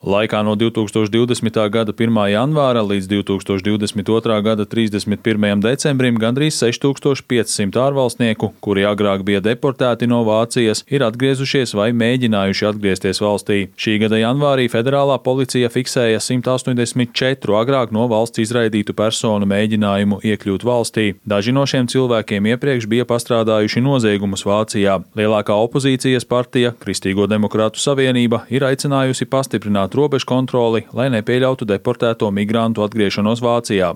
Laikā no 2020. gada 1. janvāra līdz 2022. gada 31. decembrim gandrīz 6500 ārvalstnieku, kuri agrāk bija deportēti no Vācijas, ir atgriezušies vai mēģinājuši atgriezties valstī. Šī gada janvārī federālā policija fiksēja 184 agrāk no valsts izraidītu personu mēģinājumu iekļūt valstī. Daži no šiem cilvēkiem iepriekš bija pastrādājuši noziegumus Vācijā. Lielākā opozīcijas partija, Kristīgo demokrātu savienība, ir aicinājusi pastiprināt robežu kontroli, lai nepieļautu deportēto migrantu atgriešanos Vācijā.